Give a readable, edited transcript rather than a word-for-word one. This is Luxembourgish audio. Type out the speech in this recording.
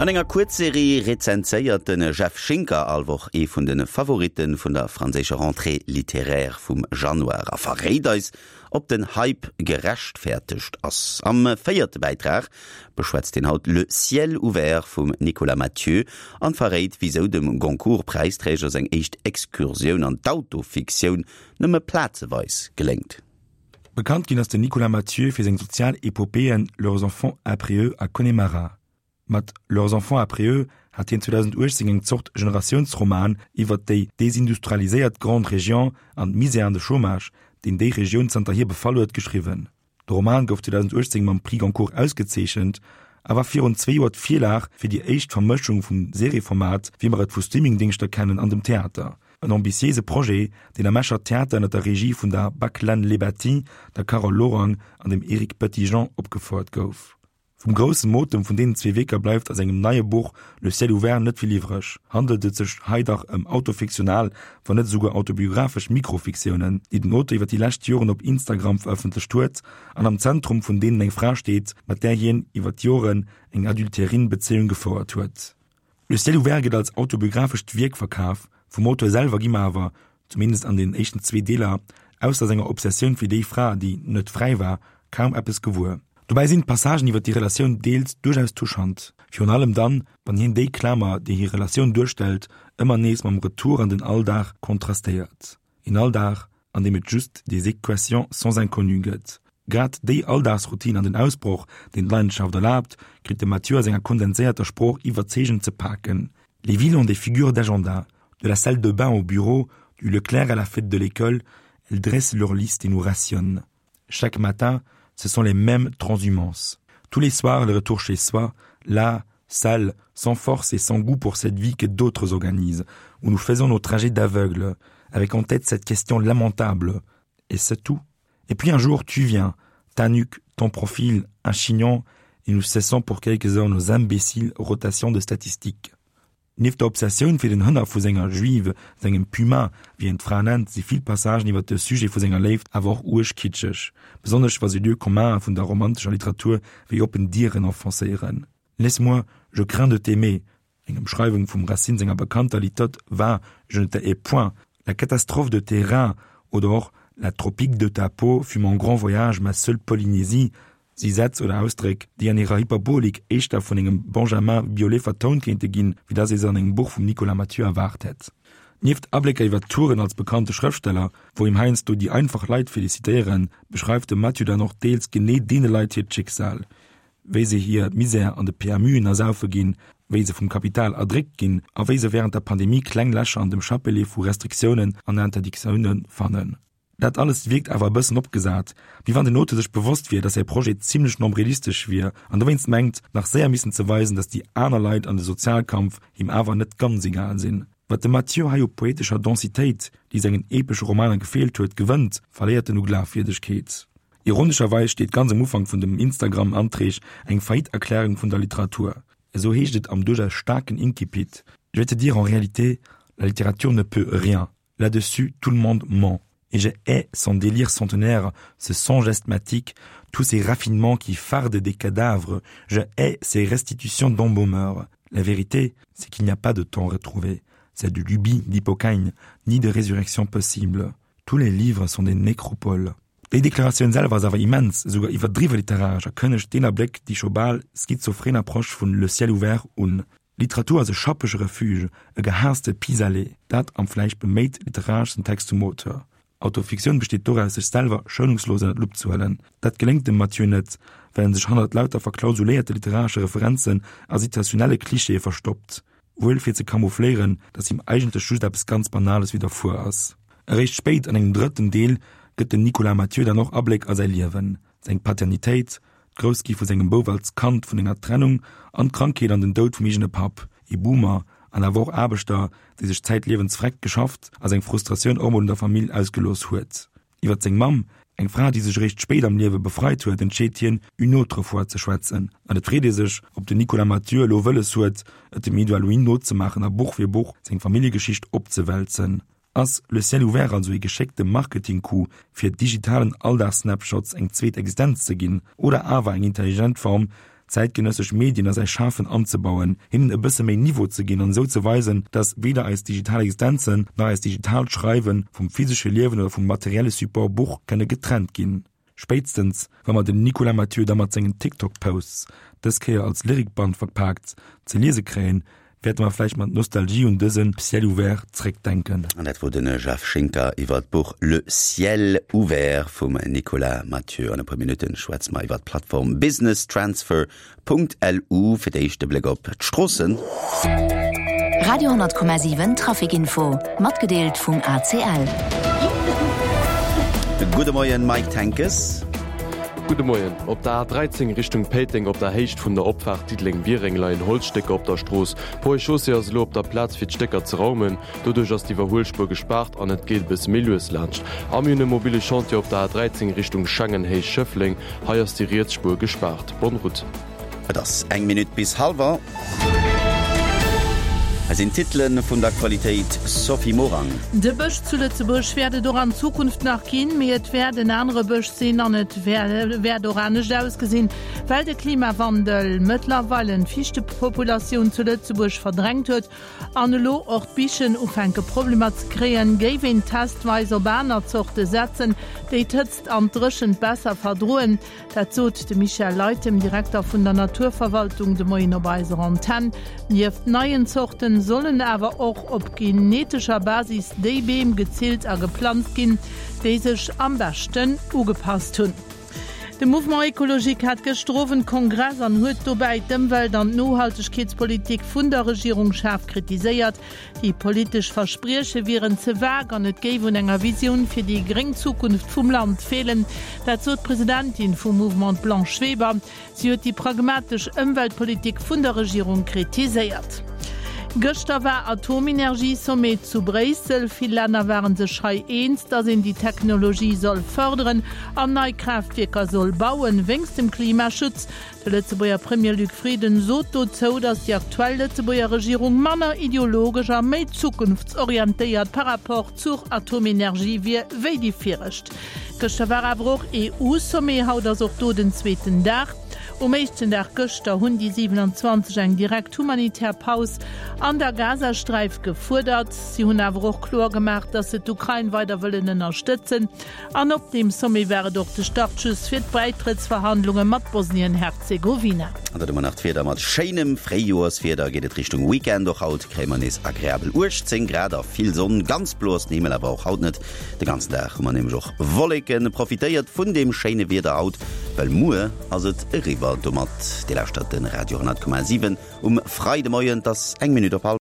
An enger Kuerzserie rezenséiert de Jeff Schinker all Woch ee vun de Favoritte vun der franséischer Rentrée littéraire vum Januar a verréit eis, ob den Hype gerechtfertegt ass. Am véierte Bäitrag beschwätzt hien haut Le ciel ouvert vum Nicolas Mathieu an verréit, wisou dem Goncourt-Präisträger seng éischt Excursioun an d'Autofiktioun nëmme plazeweis geléngt. Bekannt ginn ass den Nicolas Mathieu fir seng sozial Epopeeën Leurs enfants après eux a Connemara. Mat Leurs enfants après eux hat hien 2018 eng Zort Generatiounsroman iwwer déi desindustrialiséiert Grande Région an d'Misär an de Chômage, deen déi Regioun zanterhier befall huet, geschriwwen. De Roman gouf 2018 mam Prix Goncourt ausgezeechent a war virun zwee Joer d'Virlag fir déi éischt Vermëschung vum Serieformat, wéi mer et vu Streamingdéngschter kennen, an dem Theater. En ambitiéise Projet, deen am Escher Theater ënner der Regie vun der Baclaine Lebati, der Carole Lorang an dem Eric Petitjean opgefouert gouf. Vum groussen Motem vun deenen zwee Wierker bleift a sengem neie Buch Le ciel ouvert net vill iwwreg. Handelt et sech hei dach ëm autofiktional, wann net esouguer autobiographesch Mikrofiktiounen, déi den Auteur iwwer déi lescht Joren op Instagram verëffentlecht huet an am Zentrum vun deenen eng Fra steet, mat där hien iwwer d'Joren eng Adultérine-Bezéiung gefouert huet. Le ciel ouvert gëtt als autobiographescht Wierk verkaf, vum Auteur selwer gi mer awer, zumindest an den éischten zwee Deeler, ausser senger Obsessioun fir déi Fra, déi net fräi war, kaum eppes gewuer. Dobäi sinn d'Passagen iwwer déi Relatioun deels duerchaus touchant, virun allem dann, wann hien déi Klamer, déi hir Relatioun duerstellt, ëmmer nees mam Retour an den Alldag kontrastéiert. Een Alldag, an deem et just des équations sans inconnu gëtt. Grad déi Alldagsroutine an den Ausbroch, deen d'Leidenschaft erlaabt, kritt de Mathieu a senger kondenséierter Sprooch iwwerzeegend ze paken. Les villes ont des figures d'agenda, de la salle de bain au bureau, du Leclerc à la fête de l'école, elles dressent leur liste et nous rationnent. Chaque matin, ce sont les mêmes transhumances. Tous les soirs, le retour chez soi, là, sale, sans force et sans goût pour cette vie que d'autres organisent, où nous faisons nos trajets d'aveugle, avec en tête cette question lamentable. Et c'est tout. Et puis un jour, tu viens, ta nuque, ton profil, un chignon, et nous cessons pour quelques heures nos imbéciles rotations de statistiques. Nieft der Obsessioun fir den Hënner vu senger Juive, sengem Puma, wéi en d'Fra nennt, si vill Passagen iwwer de Sujet vu senger Léift awer och uerg kitscheg, besonnesch wa se Lieux communs vun der romantescher Literatur wéi oppen Dieren enfoncéieren. Laisse-moi, je crains de t'aimer, eng Ëmschreiwung vum Racine senger bekannter Litote Va, je ne te hais point, La catastrophe de tes reins oder och La tropique de ta peau fut mon grand voyage, ma seule Polynésie, Si Sätz oder Ausdréck, déi an hirer Hyperbolik éischter vun engem Benjamin Biolay vertount kéinte ginn, wéi dass ee se an engem Buch vum Nicolas Mathieu erwaart hätt. Nieft Ablécker iwwer Touren als bekannte Schrëftsteller, wou him heiansdo déi einfach Leit felicitéieren, beschreift de Mathieu dann och deels genee deene Leit hiert Schicksal, wéi se hir Misär an de PMUen ersaufe ginn, wéi se vum Kapital erdréckt ginn a wéi se wärend der Pandemie kleng Lächer an dem Chapelet vu Restriktiounen an Interdictioune fannen. Dat alles wierkt awer e bëssen opgesat, wéi wann den Auteur sech bewosst wier, dass säi Projet zimlech nombrilistesch wier an dowéinst mengt, nach séier missen ze weisen, dass déi aner Leit an de Sozialkampf him awer net ganz egal sinn. Wat de Mathieu hei u poetescher Densitéit, déi sengen epesche Romaner gefeelt huet, gewënnt, verléiert en u Glafwierdegkeet. Ironescherweis steet ganz am Ufank vun dem Instagram-Anträg eng Faillite-Erklärung vun der Literatur. Esou heescht et am duerchaus staarken Incipit, Je vais te dire en réalité, la littérature ne peut rien. Là-dessus, tout le monde ment. Et je hais son délire centenaire, ce songe asthmatique, tous ces raffinements qui fardent des cadavres. Je hais ces restitutions d'embaumeurs. La vérité, c'est qu'il n'y a pas de temps retrouvé. C'est de lubie d'hypocagne, ni de résurrection possible. Tous les livres sont des nécropoles. Déi Deklaratioun selwer ass awer immens, esouguer iwwerdriwwe literaresch a kënnegt deen Abléck déi scho bal schizophren Approche vun Le ciel ouvert un. Literatur ass e schappege Refuge, e gehaasste Pis-aller, dat am vläicht beméit literareschsten Text vum Auteur. Autofiktioun besteet doraus, sech selwer schounungslos ënner d'Lupp ze huelen. Dat geléngt dem Mathieu net, well en sech hannert lauter verklausuléierte literaresche Referenzen a situationelle Klischeeë verstoppt. Wuel fir ze camoufléieren, datt him eigentlech just eppes ganz Banales widderfuer ass. Eréischt spéit an engem drëtten Deel gëtt den Nicolas Mathieu dann och Abléck a säi Liewen, seng Paternitéit, d'Groussgi vu sengem Bouf als Kand vun enger Trennung an d'Krankheet an den Doud vum eegene Papp, ee Boomer an awer och Aarbechter, dee sech zäitliewens vreckt geschafft a seng Frustratioun och mol un der Famill ausgelooss huet. Iwwer seng Mamm, eng Fra, déi sech eréischt spéit am Liewe befreit huet, entscheet hien, une autre fois ze schwätzen. An et freet ee sech, ob den Nicolas Mathieu elo wëlles huet, et dem Edouard Louis nozemaachen a Buch fir Buch seng Familljegeschicht opzewälzen. Ass Le ciel ouvert also ee geschéckte Marketing-Coup, fir digitalen Alldags-Snapshots eng zweet Existenz ze ginn, oder awer eng intelligent Form, zäitgenëssesch Medien a säi Schafen anzebauen, hinnen e bësse méi Niveau ze ginn an esou ze weisen, dass weder eis digital Existenzen nach eist digitaalt Schreiwe vum physesche Liewen oder vum materielle Support Buch kënne getrennt ginn. Spéitstens wa mer den Nicolas Mathieu da mat sengen TikTok-Posts, dës Kéier als Lyrikband verpaakt, ze liese kréien, wäerte mer vläicht mat Nostalgie un dëse Ciel ouvert zréckdenken. An dat wor de Jeff Schinker iwwer d'Buch Le ciel ouvert vum Nicolas Mathieu. An e puer Minutten schwätze mer iwwer d'Plattform businesstransfer .lu. Fir d'éischt de Bléck op d'Stroossen. Radio 10,7 Trafic Info, matgedeelt vum ACL. Gudde Moien Mike Tenkes. Gudde Moien. Op der A13 Richtung Péiteng op der Héicht vun der Opfaart Diddeleng-Biereng leien Holzstécker op der Strooss. D'Ponts et Chaussées ass elo op der Plaz fir d'Stécker ze raumen. Doduerch ass d'Iwwerhuelspuer gespaart an et geet e bësse méi lues laanscht. A mir hunn e mobile Chantier op der A13 Richtung Schengen Héicht Schëffleng. Hei ass déi riets Spuer gespaart. Bonne route. Et ass eng Minutt bis hallwer. Hei sinn d'Titele vun der Aktualitéit, Sophie Morang. De Bësch zu Lëtzebuerg wäert et och an Zukunft nach ginn, mee et wäert en anere Bësch sinn an et wäert och anescht ausgesinn, well de Klimawandel mëttlerweile d'Fiichtepopulatioun zu Lëtzebuerg verdrängt huet an elo och d'Bichen ufänke Problemer ze kréien, géif een testweis op aner Zorte setzen, déi d'Hëtzt an d'Dréchent besser verdroen. Dat sot de Michel Leytem, Direkter vun der Naturverwaltung, de Moien op eiser Antenn. Nieft neien Zorten sollen awer och op genetescher Basis déi Beem gezillt a geplanzt ginn, déi sech am beschten ugepasst hunn. De Mouvement Ecologique hat gëschter Owend Kongress an huet dobäi d'Ëmwelt an d'Nohaltegkeetspolitik vun der Regierung schaarf kritiséiert. Déi politesch Versprieche wieren ze vag an et géif un enger Visioun fir déi gréng Zukunft vum Land feelen. Dat sot d'Presidentin vum Mouvement, d'Blanche Weber. Si huet déi pragmatesch Ëmweltpolitik vun der Regierung kritiséiert. Gëschter war Atomenergie-Sommet zu Bréissel. Vill Länner ware sech hei eens, datt een déi Technologie soll fërderen an nei Kraaftwierker soll bauen, wéinst dem Klimaschutz. De Lëtzebuerger Premier Luc Frieden sot dozou, datt déi aktuell Lëtzebuerger Regierung manner ideologesch a méi zukunftsorientéiert par rapport zur Atomenergie wier wéi déi viregt. Gëschter war awer och EU-Sommet, haut ass och do den zweeten Dag. Um éischten Dag gëschter hunn déi 27 eng direkt humanitär Paus an der Gazasträif gefuerdert. Si hunn awer och kloer gemaach, datt se d'Ukrain weider wëllen ënnerstëtzen. An op deem Sommet war et och de Startschuss fir d'Bäitrëttsverhandlunge mat Bosnien-Herzegowina. An dann hu mer nach d'Wieder, Mat schéinem Fréijoerswieder geet et Richtung Weekend. Och haut kréie mer nees agreabel 18 Grad a vill Sonn. Ganz blo ass den Himmel awer och haut net. De ganzen Dag hu mer nämlech och Wolleken. Profitéiert vun deem schéine Wieder haut, well muer ass et eriwwer domat. Dir lauschtert de Radio 10,7 um Freidemoien. Et ass eng Minutt op.